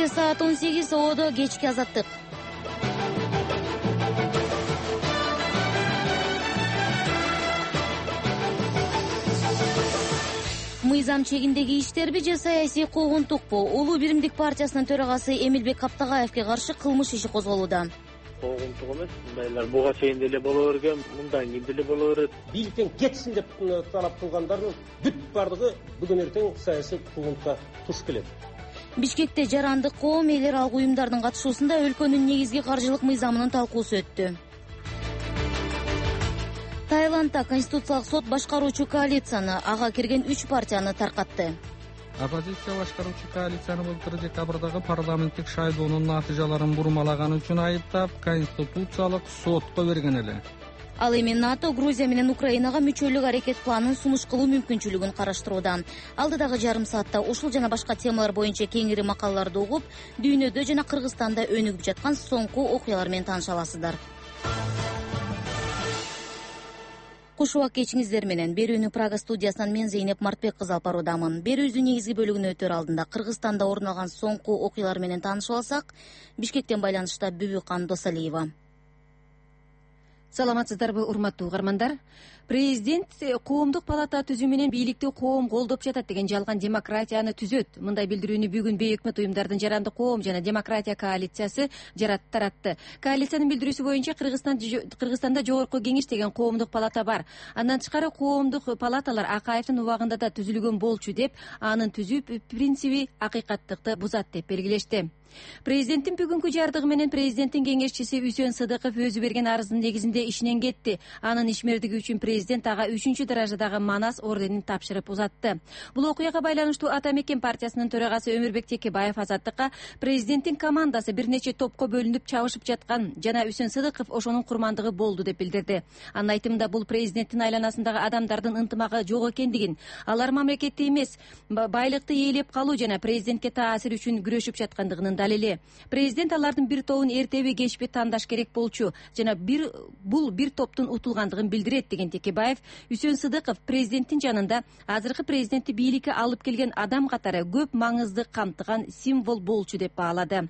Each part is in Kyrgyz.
Бишкекте саат 18, Оодо кечки азаттык. Мыйзам чегиндеги иштерби же саясий куугунтукпу? Улуу биримдик партиясынын төрагасы Эмилбек Каптагаевке каршы кылмыш иши козголууда. Куугунтук эмес, мындайлар буга чейин деле боло берген, мындан кийин деле боло берет. Бийликтен кетсин деп талап кылгандардын бүт бардыгы бүгүн эртең саясий куугунтукка туш келет. Бишкекте жарандык коом, эл аралык уюмдардын катышуусунда өлкөнүн негизги каржылык мыйзамынын талкуусу өттү. Таиландда Конституциялык сот башкаруучу коалицияны, ага кирген 3 партияны таркатты. Оппозиция башкаруучу коалицияны былтыр декабрдагы парламенттик шайлоонун натыйжаларын бурмалаганы үчүн айыптап, Конституциялык сотко берген эле. Ал эми НАТО Грузия менен Украинага мүчөлүк аракет планын сунуш кылуу мүмкүнчүлүгүн караштырууда. Алдыдагы жарым саатта ушул жана башка темалар боюнча кеңири макалаларды угуп, дүйнөдө жана Кыргызстанда өнүгүп жаткан соңку окуялар менен тааныша аласыздар. Куш убак кечиңиздер менен. Берүүнү Прага студиясынан мен Зейнеп Мартбек кызы алып баруудамын. Берүүбүздүн негизги бөлүгүнө өтөр алдында Кыргызстанда орун алган соңку окуялар менен таанышып алсак, Бишкектен байланышта Бүбүкан Досалиева. Саламатсыздарбы, урматтуу угармандар? Президент коомдук палата түзүү менен бийликти коом колдоп жатат деген жалган демократияны түзөт. Мындай билдирүүнү бүгүн бейөкмөт уюмдардын жарандык коом жана демократия коалициясы таратты. Коалициянын билдирүүсү боюнча Кыргызстанда жогорку кеңеш деген коомдук палата бар. Андан тышкары коомдук палаталар Акаевдин убагында да түзүлгөн болчу деп, анын түзүү принциби акыйкаттыкты бузат деп белгилешти. Президенттин бүгүнкү жардыгы менен президенттин кеңешчиси Үсөн Сыдыков өзү берген арыздын негизинде ишинен кетти. Анын ишмердиги үчүн президент ага 3-чү даражадагы Манас орденин тапшырып узатты. Бул окуяга байланыштуу Ата Мекен партиясынын төрагасы Өмүрбек Текебаев Азаттыкка президенттин командасы бир нече топко бөлүнүп чабышып жаткан жана Үсөн Сыдыков ошонун курмандыгы болду деп билдирди. Анын айтымында бул президенттин айланасындагы адамдардын ынтымагы жок экендигин, алар мамлекетти эмес, байлыкты ээлеп калуу жана президентке таасир үчүн күрөшүп жаткандыгынын далили. Президент алардын бир тобун эртеби кечпи тандаш керек болчу жана бул бир топтун утулгандыгын билдирет деген Текебаев, Үсөн Сыдыков президенттин жанында азыркы президентти бийликке алып келген адам катары көп маңызды камтыган символ болчу деп баалады.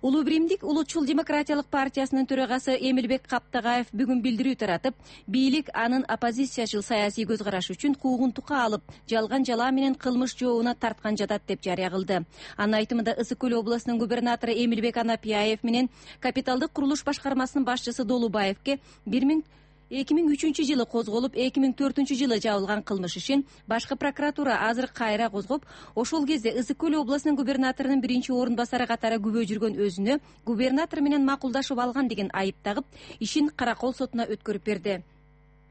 Улуу биримдик улутчул демократиялык партиясынын төрагасы Эмилбек Каптагаев бүгүн билдирүү таратып, бийлик анын оппозициячыл саясий көз карашы үчүн куугунтукка алып, жалган жалаа менен кылмыш жообуна тарткан жатат деп жарыя кылды. Анын айтымында Ысык Көл областынын губернатору Эмилбек Анапияев менен капиталдык курулуш башкармасынын башчысы Долубаевке 2003-жылы козголуп, 2004-жылы жабылган кылмыш ишин башкы прокуратура азыр кайра козгоп, ошол кезде Ысык Көл областынын губернаторунун 1-орун басары катары күбө жүргөн өзүнө губернатор менен макулдашып алган деген айып тагып, ишин Каракол сотуна өткөрүп берди.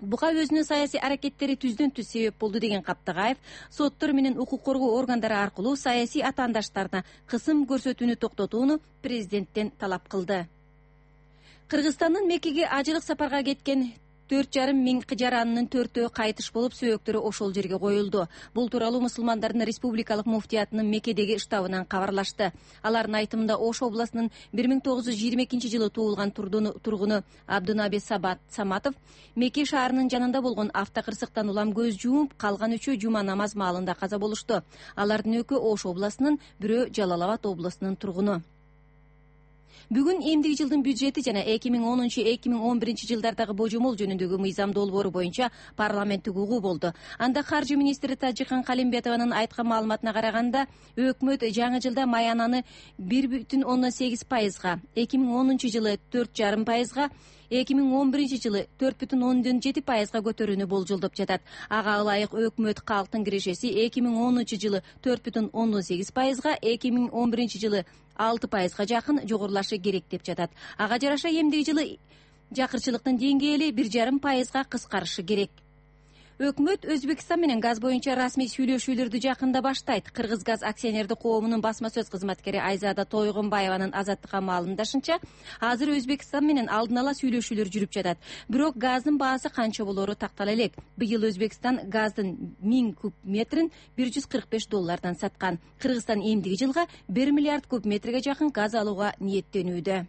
Буга өзүнүн саясий аракеттери түздөн-түз себеп болду деген Каптагаев, соттор менен укук коргоо органдары аркылуу саясий атаандаштарына кысым көрсөтүүнү токтотууну президенттен талап кылды. Кыргызстандын Меккеге ажылык сапарга кеткен 4,5 миң жаранынын 4-өө кайтыш болуп, сөөктөрү ошол жерге коюлду. Бул тууралуу мусулмандардын республикалык муфтиятынын Меккедеги штабынан кабарлашты. Алардын айтымында Ош областынын 1922-жылы туулган тургуну Абдунаби Саматов Мекке шаарынын жанында болгон автокырсыктан улам көз жумуп, калган 3-өө жума намаз маалында каза болушту. Алардын экөө Ош областынын, бирөө Жалал Абад областынын тургуну. Бүгүн эмдиги жылдын бюджети жана 2010-2011 жылдардагы божомол жөнүндөгү мыйзам долбоору боюнча парламенттик угуу болду. Анда каржы министри Тажикхан Калимбетованын айткан маалыматына караганда, өкмөт жаңы жылда маянаны 1,8%, 2010 жылы 4,5%, 2011 жылы 4,7%га көтөрүүнү болжолдоп жатат. Ага ылайык өкмөт калктын кирешеси 2010 жылы 4,8%, 2011 жылы 6%га жакын жогорулашы керек деп жатат. Ага жараша эмдиги жылы жакырчылыктын деңгээли 1,5%га кыскарышы керек. Өкмөт Өзбекстан менен газ боюнча расмий сүйлөшүүлөрдү жакында баштайт. Кыргызгаз акционердик коомунун басма сөз кызматкери Айзада Тойгонбаеванын Азаттыкка маалымдашынча, азыр Өзбекстан менен алдын ала сүйлөшүүлөр жүрүп жатат. Бирок газдын баасы канча болору тактала элек. Быйыл Өзбекстан газдын 1000 куб метрин $145 саткан. Кыргызстан эмдиги жылга 1 миллиард куб метрге жакын газ алууга ниеттенүүдө.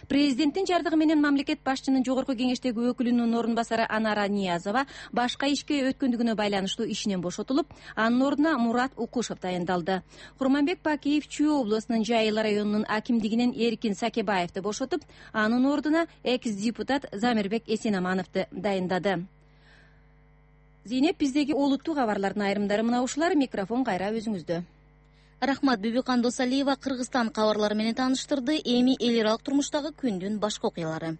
Президенттин жардыгы менен мамлекет башчынын жогорку кеңештеги өкүлүнүн орун басары Анара Ниязова башка ишке өткөндүгүнө байланыштуу ишинен бошотулуп, анын ордуна Мурат Укушев дайындалды. Курманбек Бакиев Чүй областынын Жайыл районунун акимдигинен Эркин Сакебаевди бошотуп, анын ордуна экс-депутат Замирбек Эсенамановду дайындады. Зейнеп, биздеги олуттуу кабарлардын айрымдары мына ушулар. Микрофон кайра өзүңүздө. Рахмат. Бүбүкан Досалиева Кыргызстан кабарлары менен тааныштырды. Эми эл аралык турмуштагы күндүн башка окуялары.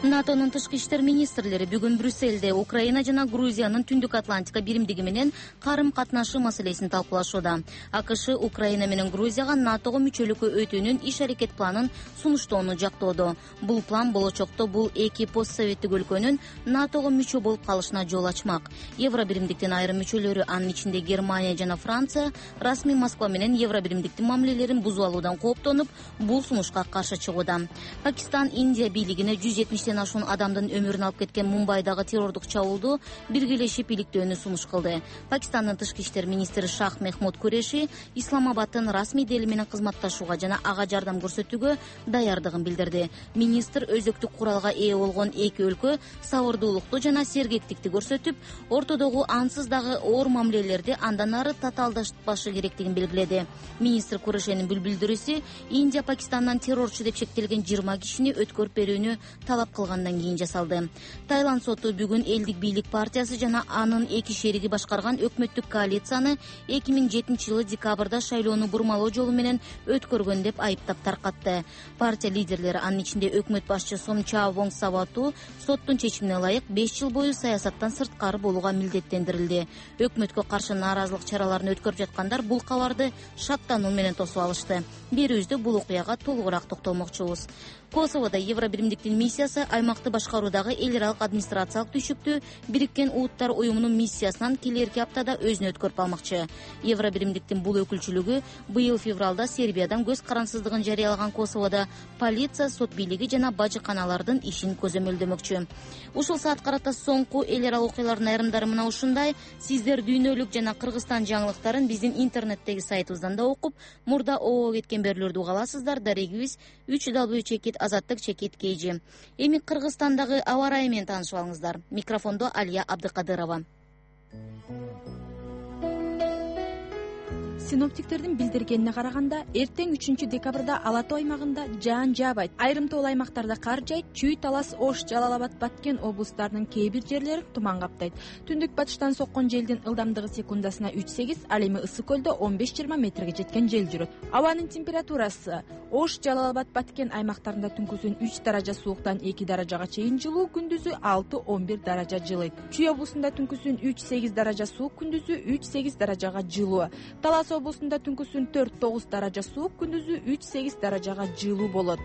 НАТОнун тышкы иштер министрлери бүгүн Брюссельде Украина жана Грузиянын Түндүк Атлантика биримдиги менен карым катнашы маселесин талкуулашууда. АКШ Украина менен Грузияга НАТОго мүчөлүккө өтүүнүн иш аракет планын сунуштоону жактоодо. Бул план болочокто бул эки постсоветтик өлкөнүн НАТОго мүчө болуп калышына жол ачмак. Евро биримдиктин айрым мүчөлөрү, анын ичинде Германия жана Франция, расмий Москва менен Евро биримдиктин мамилелерин бузуп алуудан кооптонуп, бул сунушка каршы чыгууда. Пакистан Индия бийлигине 170 ашуун адамдын өмүрүн алып кеткен Мумбайдагы террордук чабуулду биргелешип иликтөөнү сунуш кылды. Пакистандын тышкы иштер министри Шах Мехмуд Куреши Исламабадтын расмий дели менен кызматташууга жана ага жардам көрсөтүүгө даярдыгын билдирди. Министр өзөктүк куралга ээ болгон эки өлкө сабырдуулукту жана сергектикти көрсөтүп, ортодогу ансыз дагы оор мамилелерди андан ары татаалдашпашы керектигин белгиледи. Министр Курешинин билдирүүсү Индия Пакистандан террорчу деп шектелген 20 кишини өткөрүп берүүнү талап кылгандан кийин жасалды. Таиланд соту бүгүн элдик бийлик партиясы жана анын эки шериги башкарган өкмөттүк коалицияны 2007-жылы декабрда шайлоону бурмалоо жолу менен өткөргөн деп айыптап таркатты. Партия лидерлери, анын ичинде өкмөт башчы Сомча Вонгсавату, соттун чечимине ылайык 5 жыл бою саясаттан сырткары болууга милдеттендирилди. Өкмөткө каршы нааразылык чараларын өткөрүп жаткандар бул кабарды шаттануу менен тосуп алышты. Берүүбүздө бул окуяга толугураак токтолмокчубуз. Косоводо Евро биримдиктин миссиясы аймакты башкаруудагы эл аралык администрациялык түйшүктү Бириккен Улуттар уюмунун миссиясынан келерки аптада өзүнө өткөрүп алмакчы. Евро биримдиктин бул өкүлчүлүгү быйыл февралда Сербиядан көз карансыздыгын жарыялаган Косоводо полиция, сот бийлиги жана бажыканалардын ишин көзөмөлдөмөкчү. Ушул саат карата соңку эл аралык окуялардын айрымдары мына ушундай. Сиздер дүйнөлүк жана Кыргызстан жаңылыктарын биздин интернеттеги сайтыбыздан да окуп, мурда обо кеткен берүүлөрдү уга аласыздар. Дарегибиз www.azattik.kg. Эми Кыргызстандагы аба ырайы менен таанышып алыңыздар. Микрофондо Алия Абдыкадырова. Синоптиктердин билдиргенине караганда, эртең 3 декабрда Ала Тоо аймагында жаан жаабайт. Айрым тоо аймактарда кар жайт. Чүй, Талас, Ош, Жалал-Абад, Баткен облустарынын кээ бир жерлерин туман каптайт. Түндүк батыштан соккон желдин ылдамдыгы секундасына 3-8, ал эми Ысык көлдө 15-20 метрге жеткен жел жүрөт. Абанын температурасы: Ош, Жалал-Абад, Баткен аймактарында түнкүсүн 3 даража сууктан 2 даражага чейин жылуу, күндүзү 6-11 даража жылыйт. Чүй облусунда түнкүсүн 3-8 даража суук, күндүзү 3-8 даражага жылуу. Талас облусунда түнкүсүн 4-9 даража суук, күндүзү 3-8 даражага жылуу болот.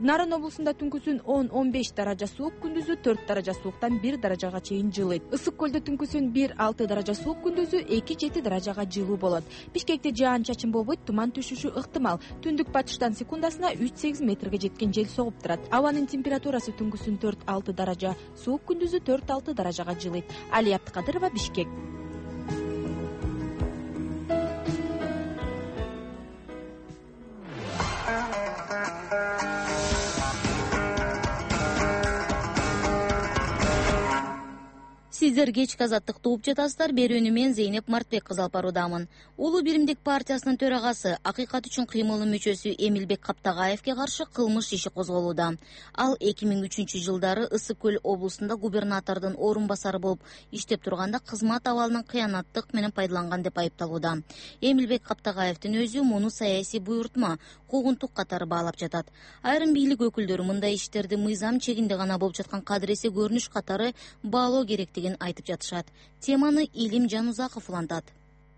Нарын облусунда түнкүсүн 10-15 даража суук, күндүзү 4 даража сууктан 1 даражага чейин жылыйт. Ысык көлдө түнкүсүн 1-6 даража суук, күндүзү 2-7 даражага жылуу болот. Бишкекте жаан-чачын болбойт, туман түшүшү ыктымал. Түндүк батыштан секундасына 3-8 метрге жеткен жел согуп турат. Абанын температурасы түнкүсүн 4-6 даража суук, күндүзү 4-6 даражага жылыйт. Алия Абдыкадырова, Бишкек. Сиздер кечки азаттыкты угуп жатасыздар. Берүүнү мен Зейнеп Мартбек кызы алып баруудамын. Улуу биримдик партиясынын төрагасы, Акыйкат үчүн кыймылдын мүчөсү Эмилбек Каптагаевге каршы кылмыш иши козголууда. Ал 2003-жылдары Ысык көл облусунда губернатордун орун басары болуп иштеп турганда кызмат абалынан кыянаттык менен пайдаланган деп айыпталууда. Эмилбек Каптагаевдин өзү муну саясий буйрутма, куугунтук катары баалап жатат. Айрым бийлик өкүлдөрү мындай иштерди мыйзам чегинде гана болуп жаткан кадыресе көрүнүш катары баалоо керектигин айтып жатышат. Теманы Илим Жанузаков улантат.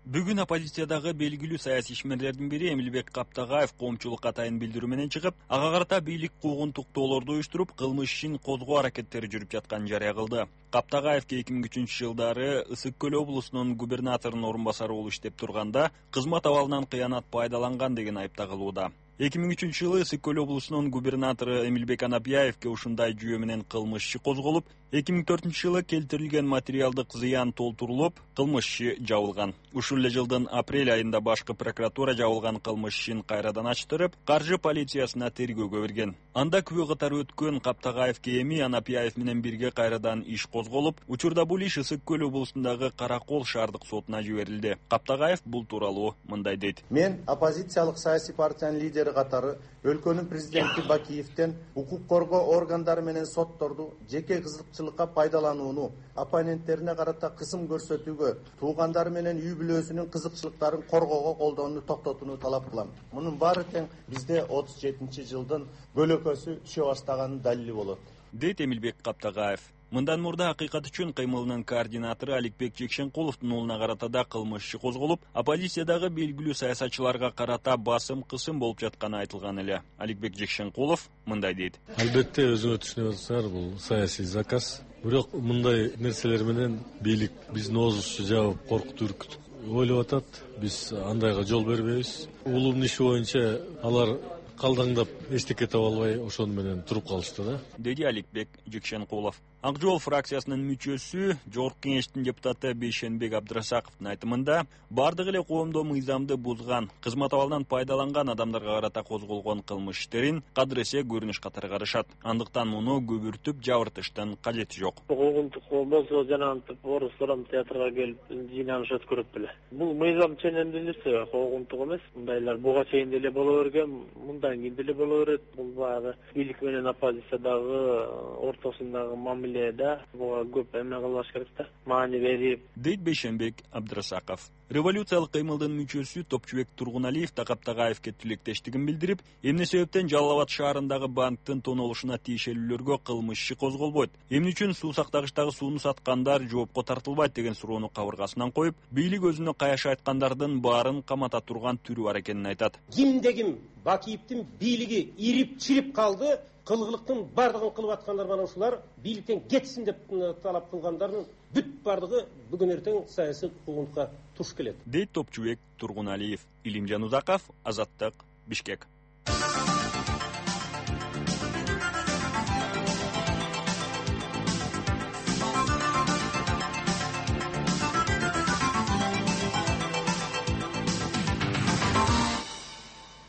Бүгүн оппозициядагы белгилүү саясий ишмерлердин бири Эмилбек Каптагаев коомчулукка атайын билдирүү менен чыгып, ага карата бийлик куугунтуктоолорду уюштуруп, кылмыш ишин козгоо аракеттери жүрүп жатканын жарыя кылды. Каптагаевге 2003-жылдары Ысык көл облусунун губернаторунун орун басары болуп иштеп турганда кызмат абалынан кыянат пайдаланган деген айып тагылууда. 2003-жылы Ысык көл облусунун губернатору Эмилбек Анапияевге ушундай жүйө менен кылмыш иши козголуп, 2004-жылы келтирилген материалдык зыян толтурулуп, кылмыш иши жабылган. Ушул эле жылдын апрель айында башкы прокуратура жабылган кылмыш ишин кайрадан ачтырып, каржы полициясына тергөөгө берген. Анда күбө катары өткөн Каптагаевке эми Анапияев менен бирге кайрадан иш козголуп, учурда бул иш Ысык көл облусундагы Каракол шаардык сотуна жиберилди. Каптагаев бул тууралуу мындай дейт. Мен оппозициялык саясий партиянын лидери катары өлкөнүн президенти Бакиевден укук коргоо органдары менен сотторду жеке кызыкчылыкка пайдаланууну, оппоненттерине карата кысым көрсөтүүгө, туугандары менен үй бүлөсүнүн кызыкчылыктарын коргоого колдоону токтотууну талап кылам. Мунун баары тең бизде 37-жылдын көлөкөсү түшө баштаганын далили болот, дейт Эмилбек Каптагаев. Мындан мурда Акыйкат үчүн кыймылынын координатору Аликбек Жекшенкуловдун уулуна карата да кылмыш иши козголуп, оппозициядагы белгилүү саясатчыларга карата басым кысым болуп жатканы айтылган эле. Аликбек Жекшенкулов мындай дейт. Албетте өзүңөр түшүнүп атасыңар, бул саясий заказ. Бирок мындай нерселер менен бийлик биздин оозубузду жаап коркутуп үркүтүп ойлоп атат. Биз андайга жол бербейбиз. Уулумдун иши боюнча алар калдаңдап эчтеке таба албай ошону менен туруп калышты да, деди Аликбек Жекшенкулов. Ак жол фракциясынын мүчөсү, Жогорку Кеңештин депутаты Бейшенбек Абдрасаковдун айтымында, бардык эле коомдо мыйзамды бузган, кызмат абалдан пайдаланган адамдарга карата козголгон кылмыш иштерин кадыресе көрүнүш катары карашат. Андыктан муну көбүртүп жабыртыштын кажети жок. Куугунтук болсо жанагынтип Орус-Сором театрга келип жыйналыш өткөрөт беле. Бул мыйзам ченемдүүлүксү куугунтук эмес. Мындайлар буга чейин деле боло берген, мындан кийин деле боло берет. Бул баягы бийлик менен оппозициядагы ортосундагы мамиле буга көп эме кылбаш керек да, маани берип, дейт Бейшенбек Абдрасаков. Революциялык кыймылдын мүчөсү Топчубек Тургуналиев Каптагаевке тилектештигин билдирип, эмне себептен Жалал Абад шаарындагы банктын тонолушуна тиешелүүлөргө кылмыш иши козголбойт, эмне үчүн суу сактагычтагы сууну саткандар жоопко тартылбайт деген суроону кабыргасынан коюп, бийлик өзүнө каяш айткандардын баарын камата турган түрү бар экенин айтат. Кимде ким Бакиевдин бийлиги ирип чирип калды, кылгылыктын бардыгын кылып аткандар менен ушулар бийликтен кетсин деп талап кылгандардын бүт бардыгы бүгүн эртең саясий куугунтукка туш келет, дейт Топчубек Тургуналиев. Илимжан Узаков, Азаттык, Бишкек.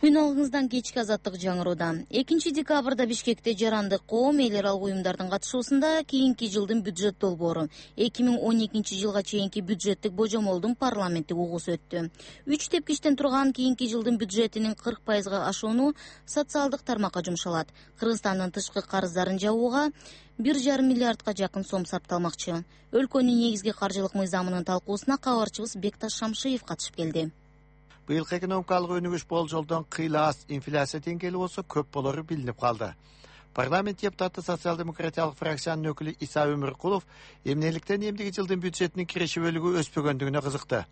Күн алгыңыздан кечки Азаттык жаңырууда. 2 декабрда Бишкекте жарандык коом эл аралык уюмдардын катышуусунда кийинки жылдын бюджет долбоору 2012 жылга чейинки бюджеттик божомолдун парламенттик угуусу өттү. 3 тепкичтен турган кийинки жылдын бюджетинин 40%га ашууну социалдык тармакка жумшалат. Кыргызстандын тышкы карыздарын жабууга 1,5 миллиардга жакын сом сарпталмакчы. Өлкөнүн негизги каржылык мыйзамынын талкуусуна кабарчыбыз Бекташ Шамшиев катышып келди. Быйылкы экономикалык өнүгүш болжолдон кыйла аз инфляция деңгээли болсо көп болору билинип калды. Парламент депутаты социал-демократиялык фракциянын өкүлү Иса Өмүркулов эмнеликтен эмдиги жылдын бюджетинин киреше бөлүгү өспөгөндүгүнө кызыкты.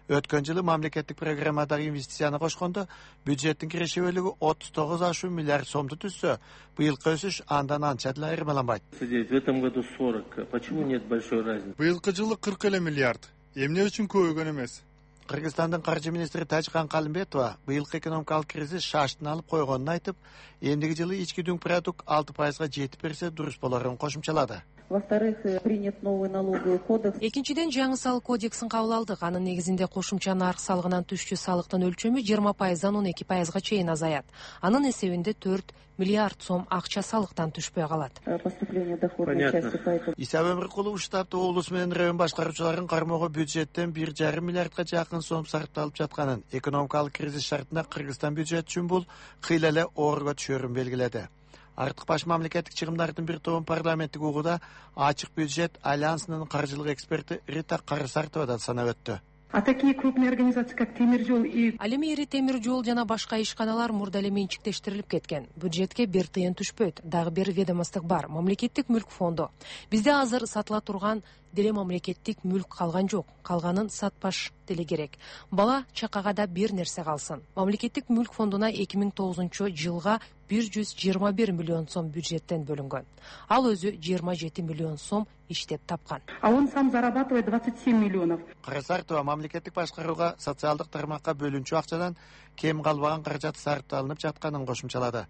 Өткөн жылы мамлекеттик программадагы инвестицияны кошкондо бюджеттин киреше бөлүгү 39,5 миллиард сомду түзсө, быйылкы өсүш андан анча деле айырмаланбайт. В этом году 40. Почему нет большой разницы? Быйылкы жылы 40 миллиард. Эмне үчүн көбөйгөн эмес? Кыргызстандын каржы министри Тажикан Калымбетова быйылкы экономикалык кризис шаштын алып койгонун айтып, эмдиги жылы ички дүң продукт 6%га жетип берсе дурус болорун кошумчалады. Во-вторых, принят новый налоговый кодекс. Экинчиден, жаңы салык кодексин кабыл алдык. Анын негизинде кошумча нарк салыгынан түшчү салыктын өлчөмү 20%дан 12%га чейин азаят. Анын эсебинде 4 миллиард сом акча салыктан түшпөй калат. Поступление доходной части поэтому. Иса Өмүркулов штабты облус менен район башкаруучуларын кармоого бюджеттен 1,5 миллиардга жакын сом сарпталып жатканын, экономикалык кризис шартында Кыргызстан бюджет үчүн бул кыйла эле оорго түшөрүн белгиледи. Артык баш мамлекеттик чыгымдардын бир тобун парламенттик угууда ачык бюджет альянсынын каржылык эксперти Рита Карысартова да санап өттү. А такие крупные организации, как Темиржол и... Ал эми ири темир жол жана башка ишканалар мурда эле менчиктештирилип кеткен. Бюджетке бир тыйын түшпөйт. Дагы бир ведомстволук бар, мамлекеттик мүлк фонду. Бизде азыр сатыла турган деле мамлекеттик мүлк калган жок. Калганын сатпаш деле керек. Бала чакага да бир нерсе калсын. Мамлекеттик мүлк фондуна 2009 жылга 121 миллион сом бюджеттен бөлүнгөн. Ал өзү 27 миллион сом иштеп тапкан. А он сам зарабатывает 27 миллионов. Карасартова мамлекеттик башкарууга социалдык тармакка бөлүнчү акчадан кем калбаган каражат сарпталынып жатканын кошумчалады.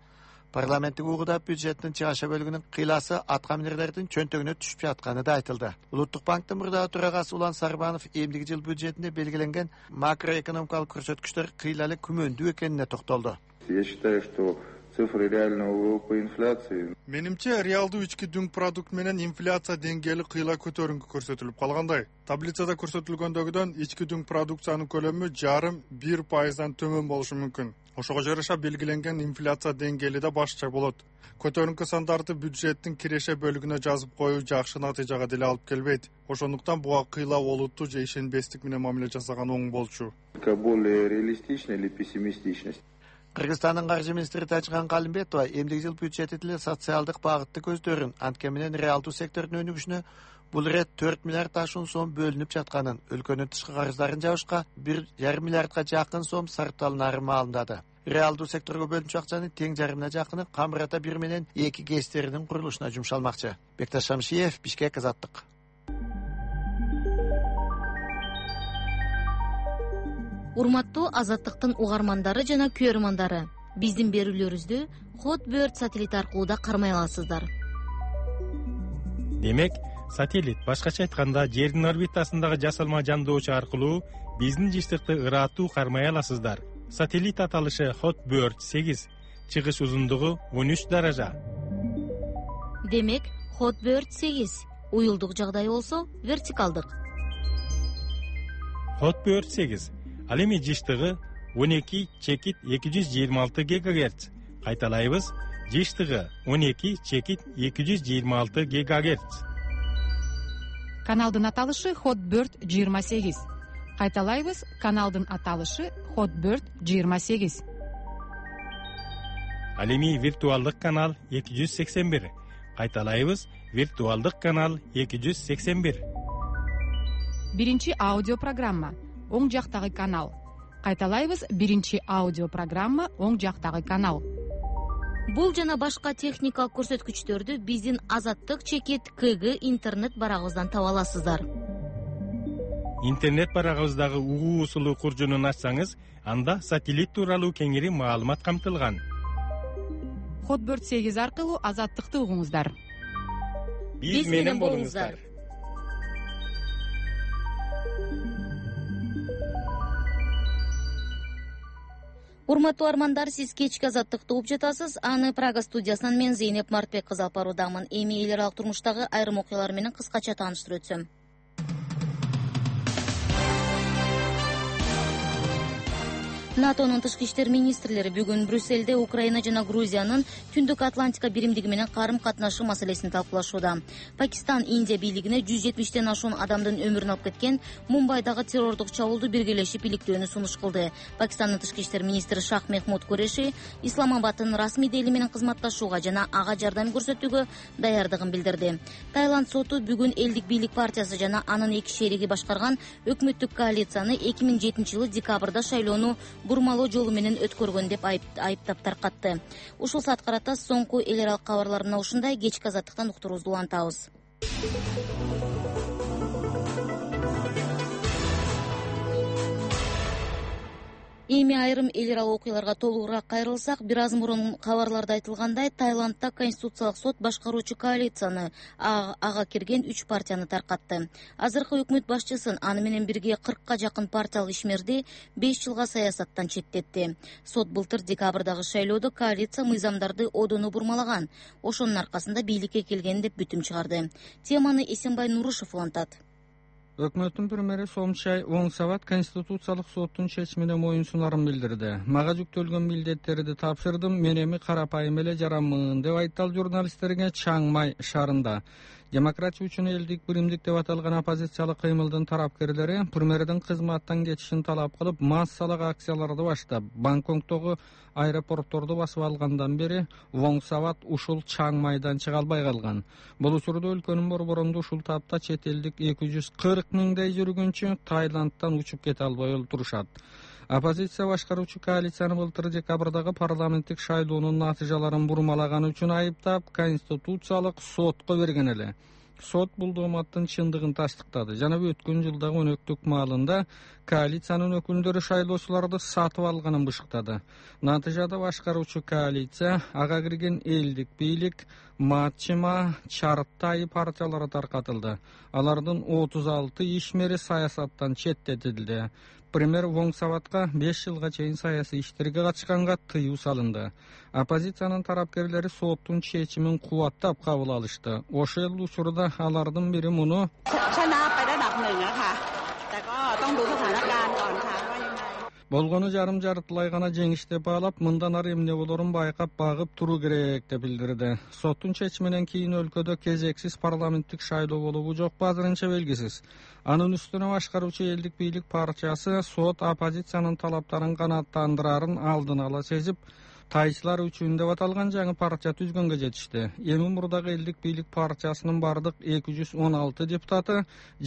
Парламенттик угуда бюджеттин чыгаша бөлүгүнүн кыйласы аткаминерлердин чөнтөгүнө түшүп жатканы да айтылды. Улуттук банктын мурдагы төрагасы Улан Сарбанов эмдиги жыл бюджетинде белгиленген макроэкономикалык көрсөткүчтөр кыйла эле күмөндүү экенине токтолду. Я считаю, что цифры реального ВВП инфляции. Менимче реалдуу ички дүң продукт менен инфляция деңгээли кыйла көтөрүнгү көрсөтүлүп калгандай. Таблицада көрсөтүлгөндөгүдөн ички дүң продукциянын көлөмү 0,5% төмөн болушу мүмкүн. Ошого жараша белгиленген инфляция деңгээли да башкача болот. Көтөрүнкү сандарды бюджеттин киреше бөлүгүнө жазып коюу жакшы натыйжага деле алып келбейт. Ошондуктан буга кыйла олуттуу же ишенбестик менен мамиле жасаган оң болчу. Более реалистичная или пессимистичность? Кыргызстандын каржы министри Тажиган Калымбетова эмдиги жыл бюджети тили социалдык багытты көздөрүн, анткени менен реалдуу сектордун өнүгүшүнө бул ирет 4 миллиард ашуун сом бөлүнүп жатканын, өлкөнүн тышкы карыздарын жабышка 1,5 миллиардга жакын сом сарпталынаары маалымдады. Реалдуу секторго бөлүнчү акчанын тең жарымына жакыны камыр ата 1 менен 2 ГЭСтеринин курулушуна жумшалмакчы. Бекташ Шамшиев, Бишкек, Азаттык. Урматтуу Азаттыктын угармандары жана көрөрмандары, биздин берүүлөрүбүздү Hotbird сателлит аркылуу да кармай аласыздар. Демек, сателлит башкача айтканда жердин орбитасындагы жасалма жандоочу аркылуу биздин жыштыкты ыраттуу кармай аласыздар. Сателлит аталышы Hotbird 8, чыгыш узундугу 13 даража. Демек, Hotbird 8 уюлдук жагдай болсо вертикалдык. Hotbird 8 ал эми жыштыгы 12/226 ГГц. Кайталайбыз, жыштыгы 12/226 ГГц. Каналдын аталышы Hotbird 28. Кайталайбыз, каналдын аталышы Hotbird 28. Ал эми виртуалдык канал 281. Кайталайбыз, виртуалдык канал 281. Биринчи аудио программа, оң жактагы канал. Кайталайбыз, биринчи аудио программа, оң жактагы канал. Бул жана башка техникалык көрсөткүчтөрдү биздин Азаттык чекит КГ интернет барагыбыздан таба аласыздар. Интернет барагыбыздагы угуу усулу куржунун ачсаңыз, анда сателлит тууралуу кеңири маалымат камтылган. Hotbird 8 аркылуу Азаттыкты угуңуздар. Биз менен болуңуздар. Урматтуу армандар, сиз кечки Азаттыкты угуп жатасыз. Аны Прага студиясынан мен Зейнеп Мартбек кызы алып баруудамын. Эми эл аралык турмуштагы айрым окуялар менен кыскача тааныштырып өтсөм. НАТОнун тышкы иштер министрлери бүгүн Брюссельде Украина жана Грузиянын Түндүк Атлантика биримдиги менен карым-катнашы маселесин талкуулашууда. Пакистан, Индия бийлигине 170тен ашуун адамдын өмүрүн алып кеткен Мумбайдагы террордук чабуулду биргелешип иликтөөнү сунуш кылды. Пакистандын тышкы иштер министри Шах Мехмуд Куреши Исламабадтын расмий дели менен кызматташууга жана ага жардам көрсөтүүгө даярдыгын билдирди. Таиланд соту бүгүн элдик бийлик партиясы жана анын эки шериги башкарган өкмөттүк коалицияны 2007-жылы декабрда шайлоону бурмалоо жолу менен өткөргөн деп айыптап таркатты. Ушул саат карата соңку эл аралык кабарларына ушундай, кечки Азаттыктан уктуруубузду улантабыз. Эми айрым эл аралык окуяларга толугураак кайрылсак, бир аз мурун кабарларда айтылгандай, Таиландда Конституциялык сот башкаруучу коалицияны ага кирген 3 партияны таркатты. Азыркы өкмөт башчысын, аны менен бирге 40ка жакын партиялык ишмерди 5 жылга саясаттан четтетти. Сот былтыр декабрдагы шайлоодо коалиция мыйзамдарды одону бурмалаган. Ошонун аркасында бийликке келген деп бүтүм чыгарды. Теманы Эсенбай Нурушев улантат. Өкмөттүн премьери Сомчай Оңсабат Конституциялык соттун чечимине моюнсунарын билдирди. Мага жүктөлгөн милдеттерди тапшырдым, мен эми карапайым эле жаранмын деп айтты журналисттерге Чаңмай шаарында. Демократия үчүн элдик биримдик деп аталган оппозициялык кыймылдын тарапкерлери премьердин кызматтан кетишин талап кылып, массалык акцияларды баштап, Бангкоктогу аэропортторду басып алгандан бери Оңсабат ушул Чаңмайдан чыга албай калган. Бул учурда өлкөнүн борборунда ушул тапта чет элдик 240 миңдей жүргүнчү Таиландтан учуп кете албай отурушат. Оппозиция башкаруучу коалицияны былтыр декабрдагы парламенттик шайлоонун натыйжаларын бурмалаганы үчүн айыптап, Конституциялык сотко берген эле. сот бул дооматтын чындыгын тастыктады жана өткөн жылдагы өнөктүк маалында коалициянын өкүлдөрү шайлоочуларды сатып алганын бышыктады. Натыйжада башкаруучу коалиция ага кирген элдик бийлик, Матчыма, Чартай партиялары таркатылды. Алардын 36 ишмери саясаттан четтетилди. Премьер Воң Саватка 5 жылга чейин саясий иштерге катышканга тыюу салынды. Оппозициянын тарапкерлери соттун чечимин кубаттап кабыл алышты. Ошол учурда алардын бири муну болгону жарым жартылай гана жеңиш деп баалап, мындан ары эмне болорун байкап багып туруу керек деп билдирди. Соттун чечиминен кийин өлкөдө кезексиз парламенттик шайлоо болобу жокпу азырынча белгисиз. Анын үстүнө башкаруучу элдик бийлик партиясы сот оппозициянын талаптарын канааттандырарын алдын ала сезип, тайчылар үчүн деп аталган жаңы партия түзгөнгө жетишти. Эми мурдагы элдик бийлик партиясынын бардык 216 депутаты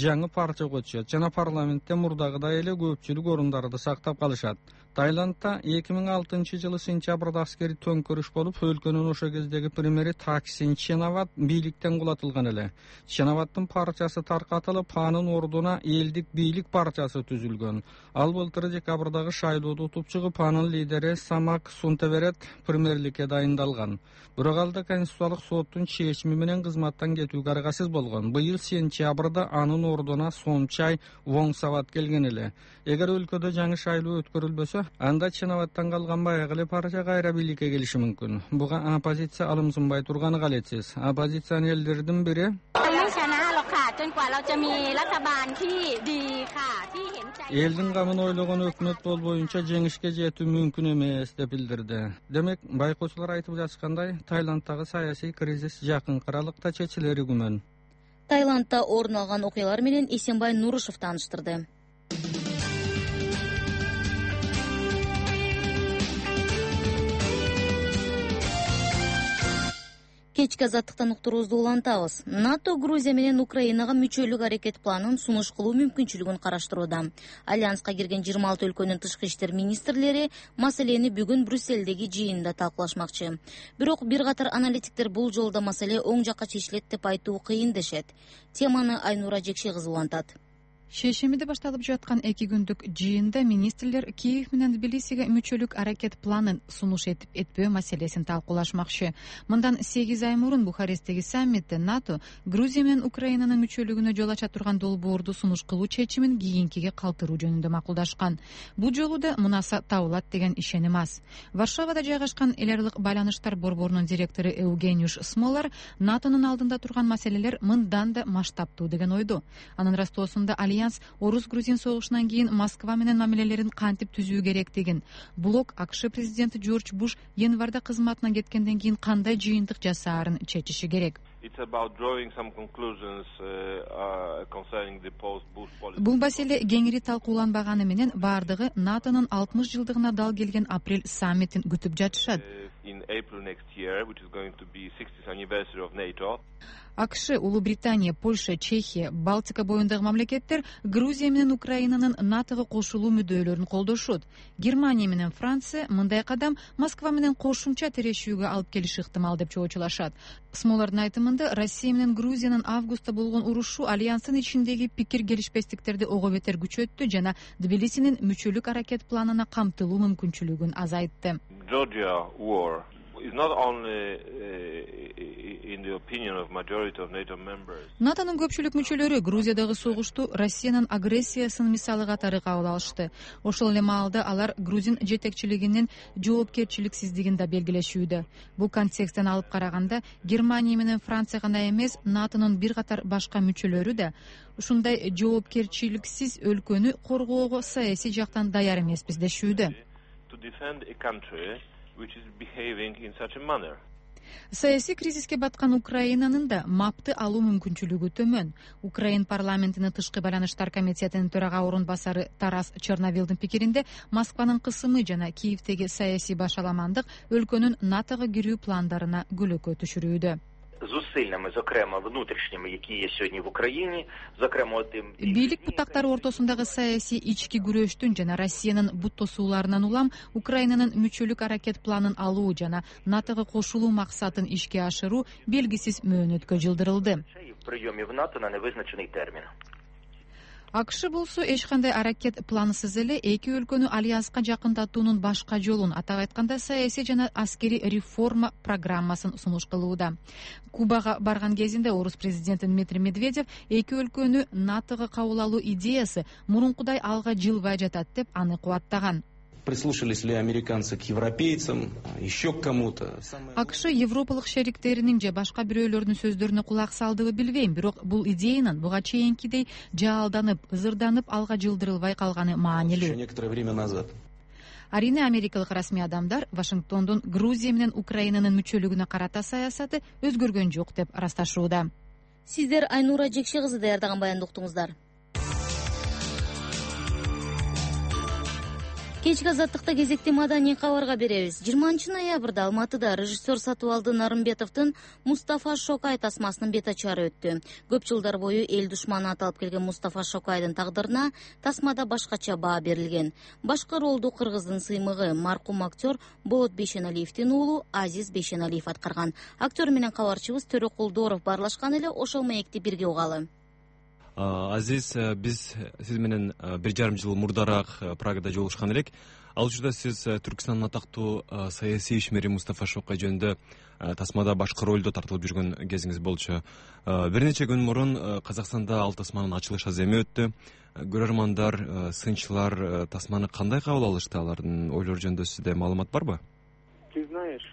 жаңы партияга өтүшөт жана парламентте мурдагыдай эле көпчүлүк орундарды сактап калышат. Тайландда 2006 жылы сентябрда аскери төңкөрүш болуп, өлкөнүн ошо кездеги премьери Таксин Ченават бийликтен кулатылган эле. Ченаваттын партиясы таркатылып, анын ордуна элдик бийлик партиясы түзүлгөн. Ал былтыр декабрдагы шайлоодо утуп чыгып, анын лидери Самак Сунтеверет премьерликке дайындалган. Бирок ал да Конституциялык соттун чечими менен кызматтан кетүүгө аргасыз болгон. Быйыл сентябрда анын ордуна Сомчай Воң Сават келген эле. Эгер өлкөдө жаңы шайлоо өткөрүлбөсө, анда Ченаваттан калган баягы эле партия кайра бийликке келиши мүмкүн. Буга оппозиция алымсынбай турганы калетсиз. Оппозиционерлердин бири элдин камын ойлогон өкмөт болбоюнча жеңишке жетүү мүмкүн эмес деп билдирди. Демек, байкоочулар айтып жатышкандай, Тайланддагы саясий кризис жакынкы аралыкта чечилери күмөн. Тайландда орун алган окуялар менен Эсенбай Нурушев тааныштырды. Кечки азаттыктан уктуруубузду улантабыз. НАТО Грузия менен Украинага мүчөлүк аракет планын сунуш кылуу мүмкүнчүлүгүн караштырууда. Альянска кирген 26 өлкөнүн тышкы иштер министрлери маселени бүгүн Брюссельдеги жыйында талкуулашмакчы. Бирок бир катар аналитиктер бул жолда маселе оң жакка чечилет деп айтуу кыйын дешет. Теманы Айнура Жекши кызы улантат. Шешимиде башталып жаткан 2 күндүк жыйында министрлер Киев менен Тбилисиге мүчөлүк аракет планын сунуш этип этпөө маселесин талкуулашмакчы. Мындан 8 ай мурун Бухаресттеги саммитте НАТО Грузия менен Украинанын мүчөлүгүнө жол ача турган долбоорду сунуш кылуу чечимин кийинкиге калтыруу жөнүндө макулдашкан. Бул жолу да мунаса табылат деген ишеним аз. Варшавада жайгашкан эл аралык байланыштар борборунун директору Евгениуш Смолар НАТОнун алдында турган маселелер мындан да масштабтуу деген ойдо. Анын растоосунда Альянс Орус-Грузин согушунан кийин Москва менен мамилелерин кантип түзүү керектигин, блок АКШ президенти Джордж Буш январда кызматынан кеткенден кийин кандай жыйынтык жасаарын чечиши керек. Бул маселе кеңири талкууланбаганы менен бардыгы НАТОнун 60 жылдыгына дал келген апрель саммитин күтүп жатышат. АКШ, Улуу Британия, Польша, Чехия, Балтика боюндагы мамлекеттер Грузия менен Украинанын НАТОго кошулуу мүддөөлөрүн колдошот. Германия менен Франция мындай кадам Москва менен кошумча тирешүүгө алып келиши ыктымал деп чоочулашат. Смолардын айтымында, Россия менен Грузиянын августта болгон урушу альянстын ичиндеги пикир келишпестиктерди ого бетер күчөттү жана Тбилисинин мүчөлүк аракет планына камтылуу мүмкүнчүлүгүн азайтты. НАТОнун көпчүлүк мүчөлөрү Грузиядагы согушту Россиянын агрессиясынын мисалы катары кабыл алышты. Ошол эле маалда алар грузин жетекчилигинин жоопкерчиликсиздигин да белгилешүүдө. Бул контексттен алып караганда, Германия менен Франция гана эмес, НАТОнун бир катар башка мүчөлөрү да ушундай жоопкерчиликсиз өлкөнү коргоого саясий жактан даяр эмеспиз дешүүдө. Саясий кризиске баткан Украинанын да мапты алуу мүмкүнчүлүгү төмөн. Украин парламентинин тышкы байланыштар комитетинин төрага орун басары Тарас Черновилдин пикиринде, Москванын кысымы жана Киевдеги саясий башаламандык өлкөнүн НАТОго кирүү пландарына көлөкө түшүрүүдө. зусиллями, зокрема внутрішніми, які є сьогодні в Україні, зокрема тим бийлик бутактары ортосундагы саясий ички күрөштүн жана Россиянын бут тосууларынан улам Украинанын мүчөлүк аракет планын алуу жана НАТОго кошулуу максатын ишке ашыруу белгисиз мөөнөткө жылдырылды. в прийомі в НАТО на невизначений термін. АКШ болсо эч кандай аракет плансыз эле эки өлкөнү альянска жакындатуунун башка жолун, атап айтканда саясий жана аскерий реформа программасын сунуш кылууда. Кубага барган кезинде орус президенти Дмитрий Медведев эки өлкөнү НАТОго кабыл алуу идеясы мурункудай алга жылбай жатат деп аны кубаттаган. Прислушались ли американцы к европейцам, еще к кому-то? АКШ европалык шериктеринин же башка бирөөлөрдүн сөздөрүнө кулак салдыбы билбейм, бирок бул идеянын буга чейинкидей жаалданып, ызырданып алга жылдырылбай калганы маанилүү. Еще некоторое время назад. Арийне америкалык расмий адамдар Вашингтондун Грузия менен Украинанын мүчөлүгүнө карата саясаты өзгөргөн жок деп ырасташууда. Сиздер Айнура Жекше кызы даярдаган баянды уктуңуздар. Кечки азаттыкта кезекти маданий кабарга беребиз. 20-ноябрда Алматыда режиссер Сатыбалды Нарымбетовдун Мустафа Шокай тасмасынын бет ачары өттү. Көп жылдар бою эл душманы аталып келген Мустафа Шокайдын тагдырына тасмада башкача баа берилген. Башкы ролду кыргыздын сыймыгы маркум актер Болот Бейшеналиевдин уулу Азиз Бейшеналиев аткарган. Актер менен кабарчыбыз Төрө Кулдоров баарлашкан эле, ошол маекти бирге угалы. Азиз, биз сиз менен 1,5 жыл мурдараак Прагада жолугушкан элек. Ал учурда сиз Түркстандын атактуу саясий ишмери Мустафа Шокай жөнүндө тасмада башкы ролдо тартылып жүргөн кезиңиз болчу. Бир нече күн мурун Казакстанда ал тасманын ачылыш аземи өттү. Көрөрмандар, сынчылар тасманы кандай кабыл алышты, алардын ойлору жөнүндө сизде маалымат барбы? Ты знаешь,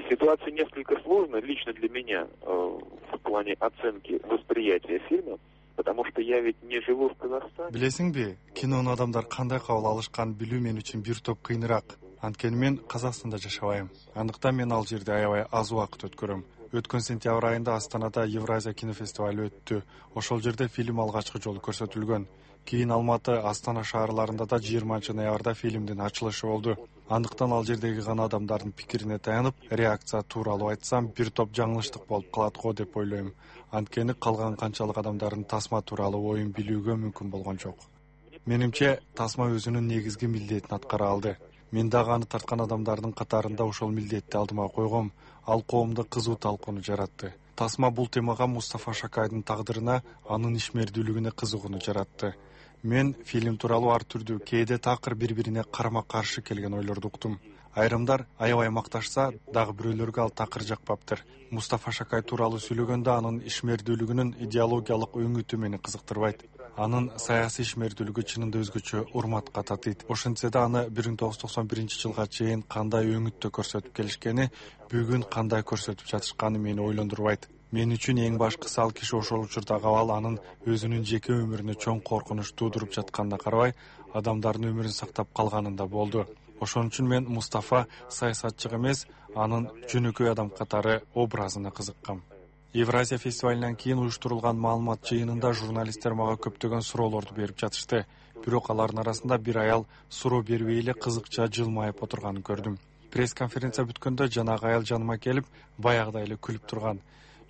ситуация несколько сложная лично для меня в плане оценки восприятия фильма, потому что я ведь не живу в Казахстане. Билесиңби, кинону адамдар кандай кабыл алышкан билүү мен үчүн бир топ кыйыныраак. Анткени мен Казакстанда жашабайм. Андыктан мен ал жерде аябай аз убакыт өткөрөм. Өткөн сентябрь айында Астанада Евразия кинофестивалы өттү. Ошол жерде фильм алгачкы жолу көрсөтүлгөн. Кийин Алматы, Астана шаарларында да 20-ноябрда фильмдин ачылышы болду. Андыктан ал жердеги гана адамдардын пикирине таянып, реакция тууралуу айтсам, бир топ жаңылыштык болуп калат го деп ойлойм. Анткени калган канчалык адамдардын тасма тууралуу оюн билүүгө мүмкүн болгон жок. Менимче, тасма өзүнүн негизги милдетин аткара алды. Мен дагы аны тарткан адамдардын катарында ошол милдетти алдыма койгом. Ал коомдо кызуу талкууну жаратты. Тасма бул темага Мустафа Шокайдын тагдырына, анын ишмердүүлүгүнө кызыгууну жаратты. Мен фильм тууралуу ар түрдүү, кээде такыр бири-бирине карама-каршы келген ойлорду уктум. Айрымдар аябай макташса, дагы бирөөлөргө ал такыр жакпаптыр. Мустафа Шокай тууралуу сүйлөгөндө анын ишмердүүлүгүнүн идеологиялык өңүтү мени кызыктырбайт. Анын саясий ишмердүүлүгү чынында өзгөчө урматка татыйт. Ошентсе да аны 1991-жылга чейин кандай өңүттө көрсөтүп келишкени, бүгүн кандай көрсөтүп жатышканы мени ойлондурбайт. Мен үчүн эң башкысы ал киши ошол учурдагы абал анын өзүнүн жеке өмүрүнө чоң коркунуч туудуруп жатканына карабай, адамдардын өмүрүн сактап калганында болду. Ошон үчүн мен Мустафа саясатчы эмес, анын жөнөкөй адам катары образына кызыккам. Евразия фестивалынан кийин уюштурулган маалымат жыйынында журналисттер мага көптөгөн суроолорду берип жатышты. Бирок алардын арасында бир аял суроо бербей эле кызыкча жылмайып отурганын көрдүм. Пресс-конференция бүткөндө жанагы аял жаныма келип, баягыдай эле күлүп турган.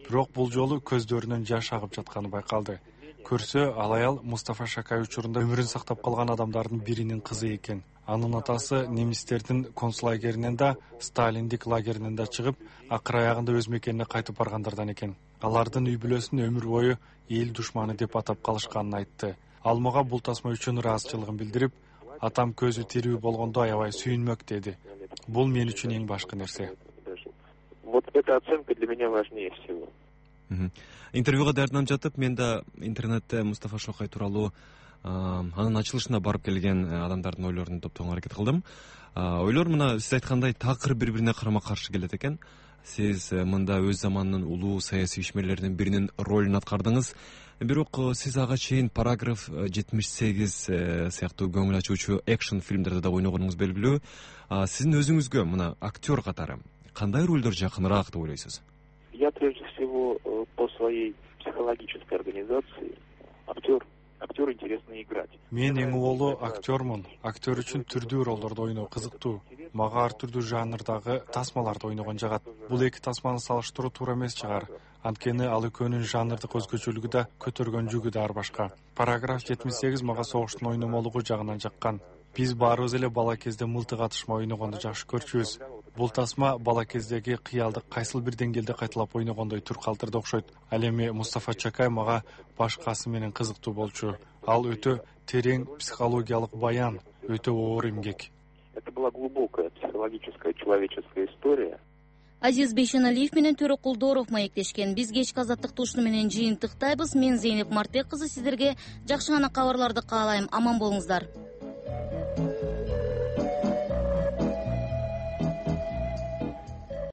Бирок бул жолу көздөрүнөн жаш агып жатканы байкалды. Көрсө, ал аял Мустафа Шокай учурунда өмүрүн сактап калган адамдардын биринин кызы экен. Анын атасы немистердин концлагеринен да, Сталиндик лагеринен да чыгып, акыр аягында өз мекенине кайтып баргандардан экен. Алардын үй бүлөсүн өмүр бою эл душманы деп атап калышканын айтты. Ал мага бул тасма үчүн ыраазычылыгын билдирип, атам көзү тирүү болгондо аябай сүйүнмөк деди. Бул мен үчүн эң башкы нерсе. Вот эта оценка для меня важнее всего. Интервьюга даярданып жатып, мен да интернетте Мустафа Шокай тууралуу анын ачылышына барып келген адамдардын ойлорун топтогонго аракет кылдым. Ойлор мына сиз айткандай такыр бири-бирине карама-каршы келет экен. Сиз мында өз заманынын улуу саясий ишмерлеринин биринин ролун аткардыңыз. Бирок сиз ага чейин параграф 78 сыяктуу көңүл ачуучу экшн фильмдерде да ойногонуңуз белгилүү. Сиздин өзүңүзгө мына актер катары кандай ролдор жакыныраак деп ойлойсуз? Я прежде всего по своей психологической организации актер. актеру интересно играть. Мен эң улуу актермун. Актер үчүн түрдүү ролдорду ойноо кызыктуу. Мага ар түрдүү жанрдагы тасмаларды ойногон жагат. Бул эки тасманы салыштыруу туура эмес чыгар. Анткени ал экөөнүн жанрдык өзгөчөлүгү да, көтөргөн жүгү да ар башка. Параграф 78 мага согуштун ойномолугу жагынан жаккан. Биз баарыбыз эле бала кезде мылтык атышма ойногонду жакшы көрчүбүз. Бул тасма бала кездеги кыялды кайсыл бир деңгээлде кайталап ойногондой тур калтырды окшойт. Ал эми Мустафа Чакай мага башкасы менен кызыктуу болчу. Ал өтө терең психологиялык баян, өтө оор эмгек. Это была глубокая психологическая человеческая история. Азиз Бейшеналиев менен Төрө Кулдоров маектешкен. Биз кечки азаттык ушуну менен жыйынтыктайбыз. Мен Зейнеп Мартек кызы сиздерге жакшы гана кабарларды каалайм. Аман болуңуздар.